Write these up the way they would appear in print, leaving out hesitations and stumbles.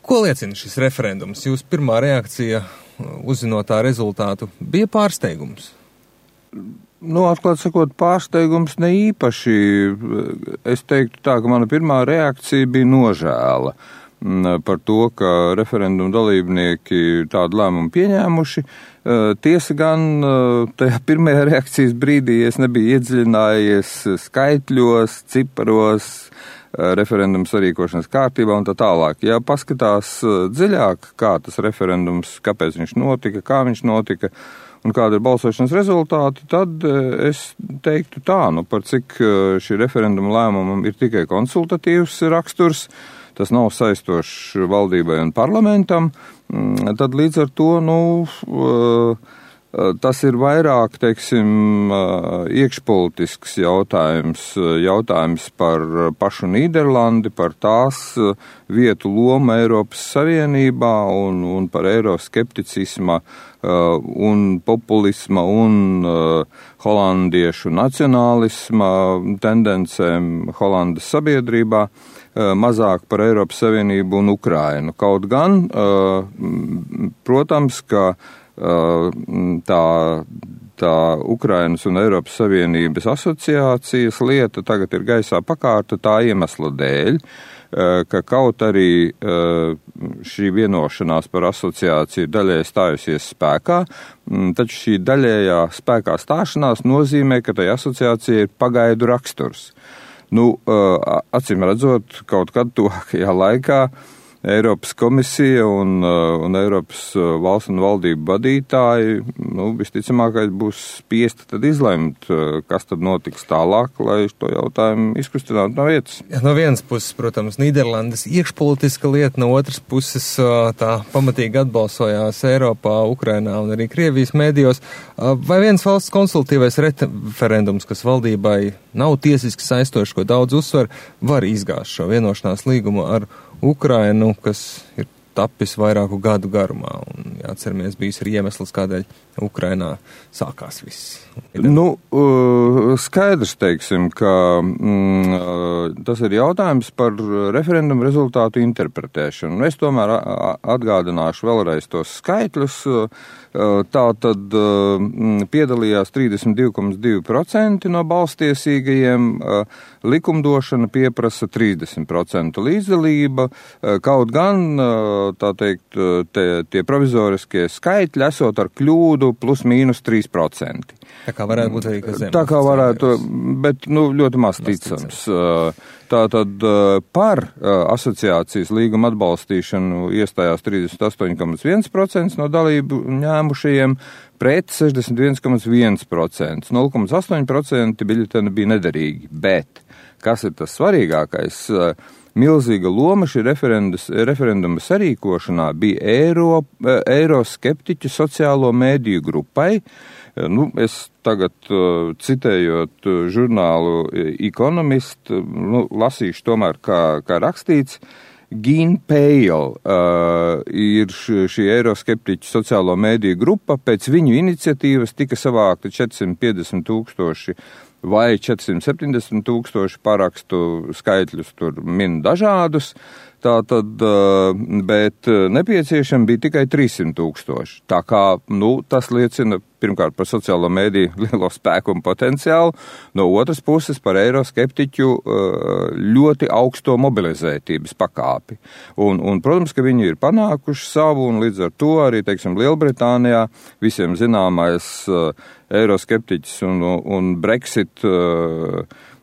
Ko liecina šis referendums? Jūsu pirmā reakcija, uzzinot tā rezultātu, bija pārsteigums? Atklāt sakot, pārsteigums ne īpaši. Es teiktu tā, ka mana pirmā reakcija bija nožēla par to, ka referendumu dalībnieki tādu lēmumu pieņēmuši. Tiesa gan tajā pirmajā reakcijas brīdī es nebiju iedziļinājies skaitļos, ciparos, referendums sarīkošanas kārtībā un tā tālāk. Ja paskatās dziļāk, kā tas referendums, kāpēc viņš notika, kā viņš notika un kāda ir balsošanas rezultāti, tad es teiktu tā, par cik šī referenduma lēmumam ir tikai konsultatīvs raksturs, tas nav saistošs valdībai un parlamentam, tad līdz ar to, tas ir vairāk, teiksim, iekšpolitisks jautājums par pašu Nīderlandi, par tās vietu lomu Eiropas Savienībā un par eiroskepticisma un populisma un holandiešu nacionālisma tendencēm Holandas sabiedrībā, mazāk par Eiropas Savienību un Ukrainu. Kaut gan, protams, ka tā Ukrainas un Eiropas Savienības asociācijas lieta tagad ir gaisā pakārta tā iemesla dēļ, ka kaut arī šī vienošanās par asociāciju daļai stājusies spēkā, taču šī daļējā spēkā stāšanās nozīmē, ka tai asociācija ir pagaidu raksturs. Acīm redzot, kaut kad tuvākajā laikā Eiropas komisija un Eiropas valsts un valdību vadītāji, visticamākais būs spiesti tad izlemt, kas tad notiks tālāk, lai to jautājumu izkustinātu no vietas. Ja, no vienas puses, protams, Nīderlandes iekšpolitiska lieta, no otras puses tā pamatīgi atbalsojās Eiropā, Ukrainā un arī Krievijas mēdījos. Vai viens valsts konsultatīvais referendums, kas valdībai nav tiesiski saistošs, ko daudz uzsver, var izgāzt šo vienošanās līgumu ar Ukrainu, kas ir tapis vairāku gadu garumā, un jāatceramies, bijis arī iemesls, kādēļ Ukrainā sākās viss. Skaidrs, teiksim, ka tas ir jautājums par referendumu rezultātu interpretēšanu. Es tomēr atgādināšu vēlreiz tos skaitļus. Tātad piedalījās 32,2% no balstiesīgajiem, likumdošana pieprasa 30% līdzdalība, kaut gan, tā teikt, tie provizoriskie skaitļi esot ar kļūdu plus mīnus 3%. Tā kā varētu būt arī, kas zem. Tā kā varētu, bet, ļoti maz ticams. Tātad par asociācijas līguma atbalstīšanu iestājās 38,1% no dalību ņēmušajiem, pret 61,1%. 0,8% biļeteni bija nederīgi, bet, kas ir tas svarīgākais, milzīga loma šī referenduma sarīkošanā bija eiroskeptiķu sociālo mēdīju grupai. Es tagad, citējot žurnālu Economist, lasīšu tomēr, kā rakstīts, Gene Pale ir šī eiroskeptiķu sociālo mēdīju grupa, pēc viņu iniciatīvas tika savākta 450,000 vai 470,000 parakstu, skaitļus tur min dažādus. Tātad, bet nepieciešami bija tikai 300,000. Tā kā, tas liecina pirmkārt par sociālo mēdīju lielo spēku un potenciālu, no otras puses par eiroskeptiķu ļoti augsto mobilizētības pakāpi. Un, protams, ka viņi ir panākuši savu, un līdz ar to arī, teiksim, Lielbritānijā visiem zināmais eiroskeptiķis un Brexit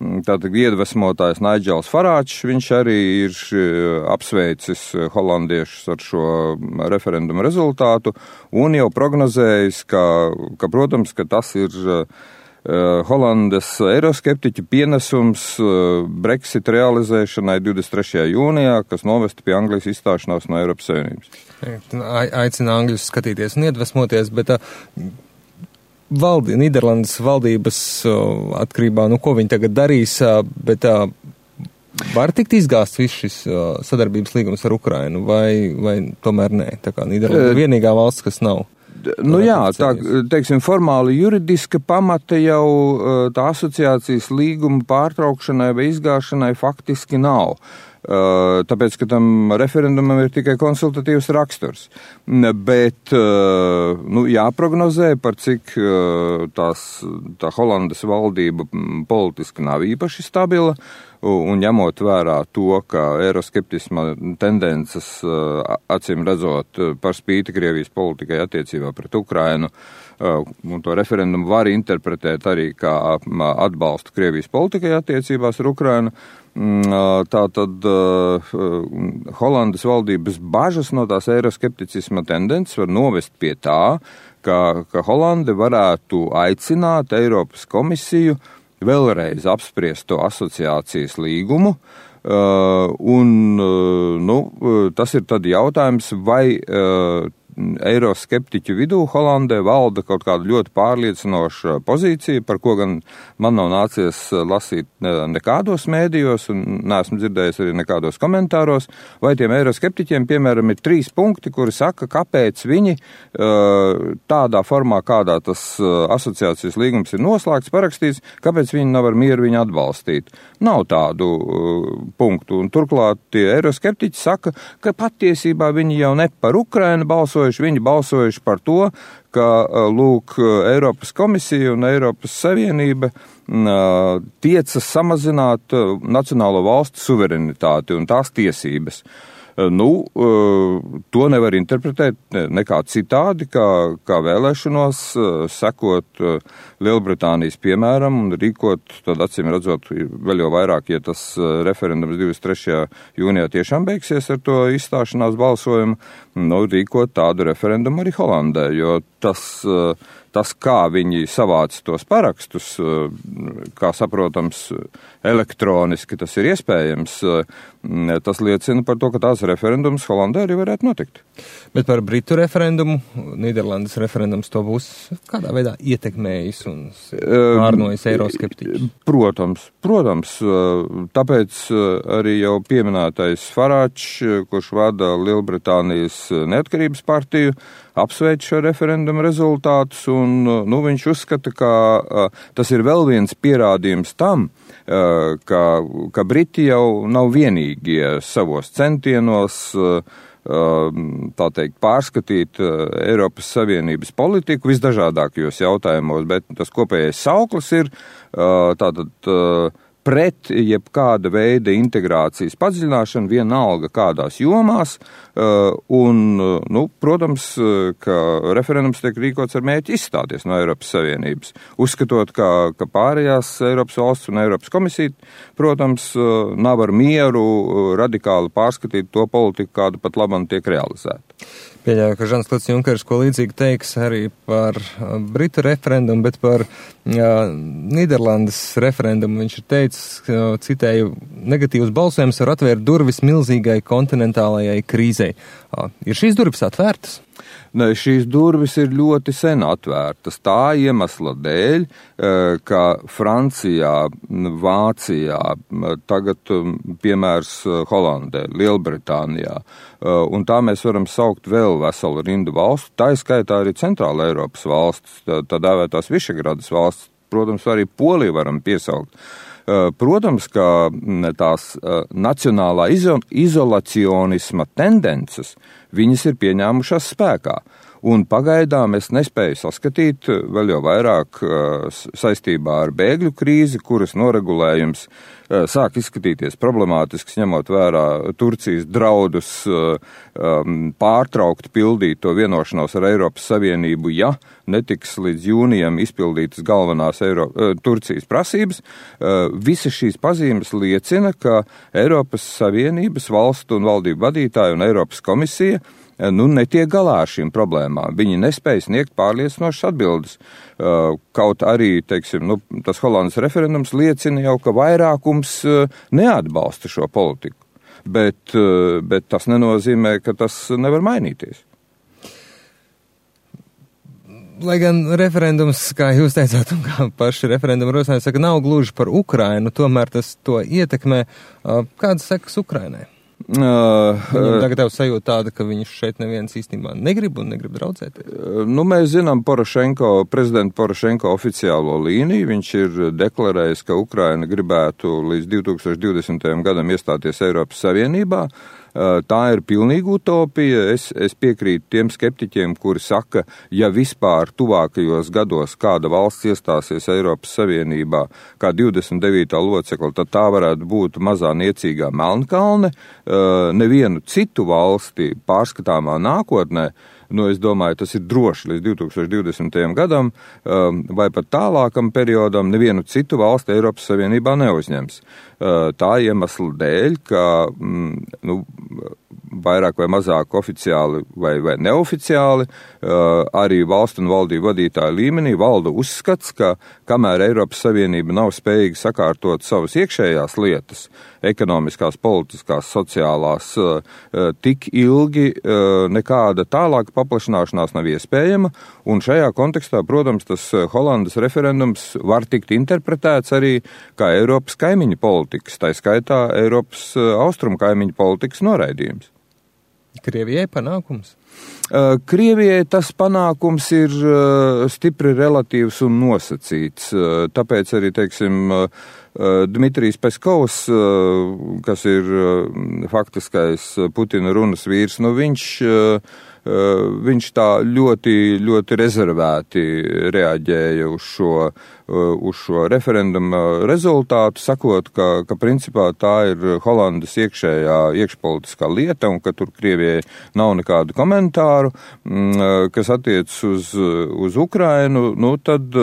tātad iedvesmotājs Nigels Farāģs, viņš arī ir apsveicis holandiešus ar šo referendumu rezultātu un jau prognozējis, ka protams, ka tas ir Holandes eiroskeptiķu pienesums Brexit realizēšanai 23. jūnijā, kas novestu pie Anglijas izstāšanās no Eiropas Savienības. Aicina Angļus skatīties un iedvesmoties, bet Nīderlandes valdības atkarībā, ko viņi tagad darīs, bet var tikt izgāsts viss šis sadarbības līgums ar Ukrainu, vai tomēr nē? Tā kā Nīderlanda ir vienīgā valsts, kas nav. Teiksim, formāli juridiska pamata jau tā asociācijas līguma pārtraukšanai vai izgāšanai faktiski nav. tāpēc, ka tam referendumam ir tikai konsultatīvs raksturs. Bet jāprognozē, par cik tā Holandas valdība politiski nav īpaši stabila, un ņemot vērā to, ka eiroskeptisma tendences, acīm redzot, par spīti Krievijas politikai attiecībā pret Ukrainu, un to referendumu var interpretēt arī kā atbalstu Krievijas politikai attiecībās ar Ukrainu. Tātad Holandas valdības bažas no tās eiroskepticisma tendences var novest pie tā, ka Holande varētu aicināt Eiropas komisiju vēlreiz apspriest to asociācijas līgumu, tas ir tad jautājums, vai eiroskeptiķu vidū Holandē valda kaut kāda ļoti pārliecinoša pozīcija, par ko gan man nav nācies lasīt nekādos mēdījos un neesmu dzirdējis arī nekādos komentāros, vai tiem eiroskeptiķiem, piemēram, ir 3 punkti, kuri saka, kāpēc viņi tādā formā, kādā tas asociācijas līgums ir noslēgts, parakstīts, kāpēc viņi nav ar mieru viņu atbalstīt. Nav tādu punktu, un turklāt tie eiroskeptiķi saka, ka patiesībā viņi jau ne par Ukrainu balsojuši, viņi balsojuši par to, ka, Eiropas komisija un Eiropas Savienība tiecas samazināt nacionālo valstu suverenitāti un tās tiesības. To nevar interpretēt nekā citādi, kā vēlēšanos sekot Lielbritānijas piemēram un rīkot, tad acīm redzot, vēl jau vairāk, ja tas referendums 23. jūnijā tiešām beigsies ar to izstāšanās balsojumu, rīkot tādu referendumu arī Holandē, jo tas, kā viņi savāca tos parakstus, kā saprotams, elektroniski tas ir iespējams, tas liecina par to, ka tās referendums Holandē arī varētu notikt. Bet par Britu referendumu, Nīderlandes referendums to būs kādā veidā ietekmējis un pārnojis eiroskeptiķus? Protams, tāpēc arī jau pieminētais Farāģs, kurš vada Lielbritānijas neatkarības partiju, apsveic šo referendumu rezultātus, un viņš uzskata, ka tas ir vēl viens pierādījums tam, ka Briti jau nav vienīgie savos centienos, tā teikt, pārskatīt Eiropas Savienības politiku visdažādākajos jautājumos, bet tas kopējais sauklis ir tātad pret jebkāda veida integrācijas padziļināšanu vienalga kādās jomās, protams, ka referendums tiek rīkots ar mērķi izstāties no Eiropas Savienības, uzskatot, ka pārējās Eiropas valsts un Eiropas komisija, protams, nav ar mieru radikāli pārskatīt to politiku, kāda pat labam tiek realizēta. Pieļauju, ka Žans-Klods Junkers ko līdzīgi teiks arī par Britu referendumu, bet par Nīderlandes referendumu viņš ir teicis, citēju, negatīvs balsojums var atvērt durvis milzīgai kontinentālajai krīzei. Ir šīs durvis atvērtas? Ne, šīs durvis ir ļoti sen atvērtas. Tā iemesla dēļ, ka Francijā, Vācijā, tagad piemērs Holandē, Lielbritānijā, un tā mēs varam saukt vēl veselu rindu valstu, tā ir skaitā arī Centrāla Eiropas valsts, tā dēvētās Višegradas valsts, protams, arī Poliju varam piesaukt. Protams, ka tās nacionālā izolacionisma tendences, viņas ir pieņēmušās spēkā. Un pagaidām es nespēju saskatīt vēl jau vairāk saistībā ar bēgļu krīzi, kuras noregulējums sāk izskatīties problemātisks, ņemot vērā Turcijas draudus pārtraukt pildīt to vienošanos ar Eiropas Savienību, ja netiks līdz jūnijam izpildītas galvenās Turcijas prasības. Visas šīs pazīmes liecina, ka Eiropas Savienības valstu un valdību vadītāji un Eiropas komisija netiek galā ar šīm problēmām. Viņi nespēja sniegt pārliecinošas atbildes. Kaut arī, teiksim, tas Holandas referendums liecina jau, ka vairākums neatbalsta šo politiku. Bet tas nenozīmē, ka tas nevar mainīties. Lai gan referendums, kā jūs teicāt, un kā paši referendumu rosinātāji saka, nav gluži par Ukrainu, tomēr tas to ietekmē. Kādas sekas Ukrainai? Viņam tagad tev sajūta tāda, ka viņš šeit neviens īstenībā negrib un negrib draudzēties? Nu, mēs zinām prezidenta Porošenko oficiālo līniju. Viņš ir deklarējis, ka Ukraina gribētu līdz 2020. gadam iestāties Eiropas Savienībā. Tā ir pilnīga utopija. Es piekrītu tiem skeptiķiem, kuri saka, ja vispār tuvākajos gados kāda valsts iestāsies Eiropas Savienībā kā 29. locekla, tad tā varētu būt mazā niecīgā Melnkalne. Nevienu citu valsti pārskatāmā nākotnē, es domāju, tas ir droši līdz 2020. gadam vai pat tālākam periodam, nevienu citu valsti Eiropas Savienībā neuzņems. Tā iemesla dēļ, ka vairāk vai mazāk oficiāli vai neoficiāli arī valstu un valdību vadītāju līmenī valda uzskats, ka kamēr Eiropas Savienība nav spējīga sakārtot savas iekšējās lietas, ekonomiskās, politiskās, sociālās, tik ilgi nekāda tālāka paplašināšanās nav iespējama, un šajā kontekstā, protams, tas Holandas referendums var tikt interpretēts arī kā Eiropas kaimiņu politikas, tā skaitā Eiropas austrumu kaimiņu politikas noraidījums. Krievijai panākums? Krievijai tas panākums ir stipri relatīvs un nosacīts, tāpēc arī, Dmitrijs Peskovs, kas ir faktiskais Putina runas vīrs, viņš tā ļoti, ļoti rezervēti reaģēja uz šo referenduma rezultātu, sakot, ka principā tā ir Holandas iekšpolitiskā lieta un ka tur Krievijai nav nekādu komentāru, kas attiec uz Ukrainu, tad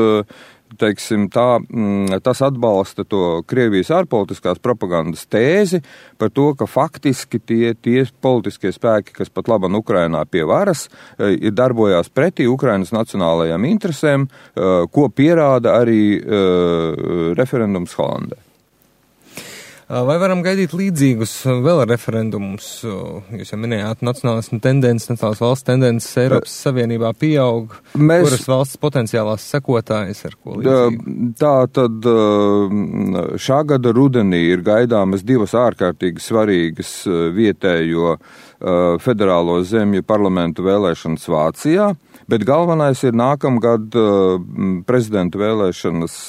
tas atbalsta to Krievijas ārpolitiskās propagandas tēzi par to, ka faktiski tie politiskie spēki, kas pat laban Ukrainā pie varas, ir darbojās pretī Ukrainas nacionālajām interesēm, ko pierāda arī referendums Holandē. Vai varam gaidīt līdzīgus vēl referendumus? Jūs jau minējāt, nacionālismu tendences, nacionālās valsts tendences Eiropas Savienībā pieaug. Kuras valsts potenciālās sekotājas ar ko līdzīgi? Tā tad šā gada rudenī ir gaidāmas divas ārkārtīgi svarīgas vietējo federālo zemju parlamentu vēlēšanas Vācijā, bet galvenais ir nākamgad prezidenta vēlēšanas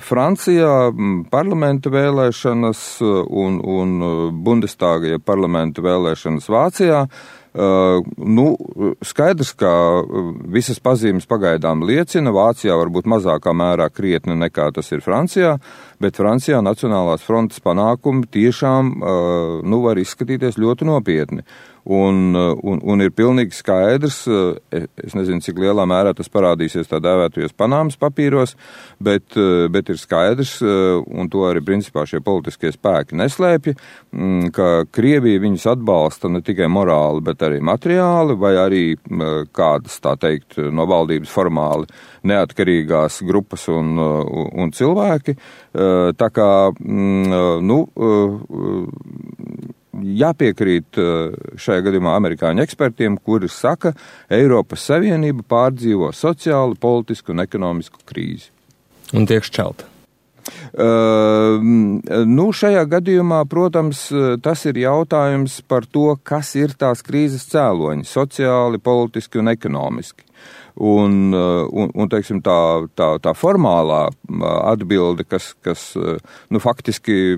Francijā, parlamenta vēlēšanas un Bundestāga parlamenta vēlēšanas Vācijā. Skaidrs, ka visas pazīmes pagaidām liecina, Vācijā varbūt mazākā mērā krietni nekā tas ir Francijā, bet Francijā Nacionālās frontes panākumi tiešām var izskatīties ļoti nopietni. Un ir pilnīgi skaidrs, es nezinu, cik lielā mērā tas parādīsies tā dēvētajos Panāmas papīros, bet ir skaidrs, un to arī principā šie politiskie spēki neslēpja, ka Krievija viņus atbalsta ne tikai morāli, bet arī materiāli, vai arī kādas, tā teikt, no valdības formāli neatkarīgās grupas un cilvēki. Tā kā, jāpiekrīt šajā gadījumā amerikāņu ekspertiem, kuri saka, Eiropas Savienība pārdzīvo sociālu, politisku un ekonomisku krīzi. Un tiek šķelta. Šajā gadījumā, protams, tas ir jautājums par to, kas ir tās krīzes cēloņi, sociāli, politiski un ekonomiski. Un teiksim, tā formālā atbilde, kas faktiski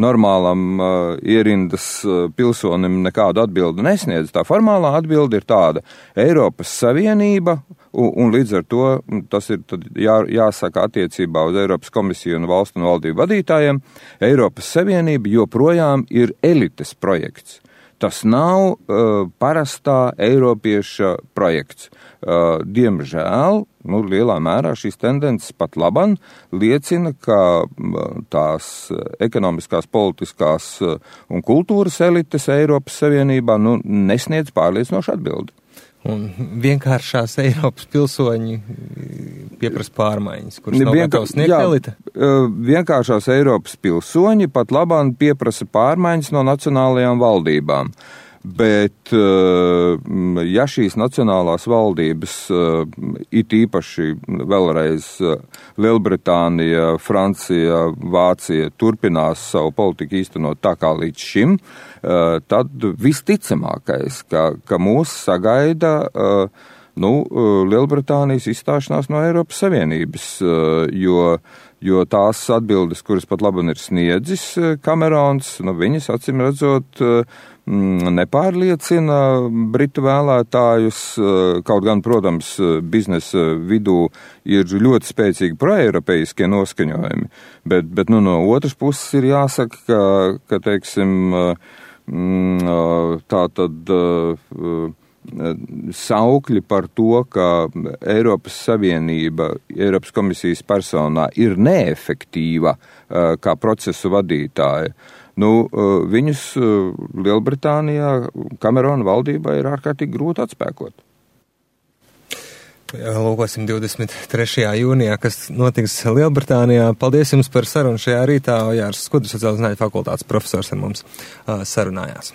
normālam ierindas pilsonim nekādu atbildi nesniedz, tā formālā atbilde ir tāda: Eiropas Savienība, un līdz ar to tas ir jāsaka attiecībā uz Eiropas komisiju un valstu un valdību vadītājiem, Eiropas Savienība joprojām ir elites projekts. Tas nav parastā eiropieša projekts. Diemžēl, lielā mērā šīs tendences pat laban liecina, ka tās ekonomiskās, politiskās un kultūras elites Eiropas Savienībā nesniedz pārliecinošu atbildi. Un vienkāršās Eiropas pilsoņi pieprasa pārmaiņas, kuras nav gatavs sniegt elite? Vienkāršās Eiropas pilsoņi pat labāk pieprasa pārmaiņas no nacionālajām valdībām. Bet, ja šīs nacionālās valdības, it īpaši vēlreiz Lielbritānija, Francija, Vācija turpinās savu politiku īstenot tā kā līdz šim, tad visticamākais, ka mūs sagaida Lielbritānijas izstāšanās no Eiropas Savienības, jo tās atbildes, kuras pat labi ir sniedzis Kamerons, viņas acīm redzot nepārliecina britu vēlētājus, kaut gan, protams, biznesa vidū ir ļoti spēcīgi proeiropeiskie noskaņojumi, bet no otras puses ir jāsaka, ka teiksim, tā tad saukļi par to, ka Eiropas Savienība, Eiropas komisijas personā ir neefektīva kā procesu vadītāja. Viņus Lielbritānijā Kamerona valdībā ir ārkārtīgi grūti atspēkot. Lūkosim 23. jūnijā, kas notiks Lielbritānijā. Paldies jums par sarunu šajā rītā. Jārs Skudrs, sociālās zinātņu fakultātes profesors ar mums sarunājās.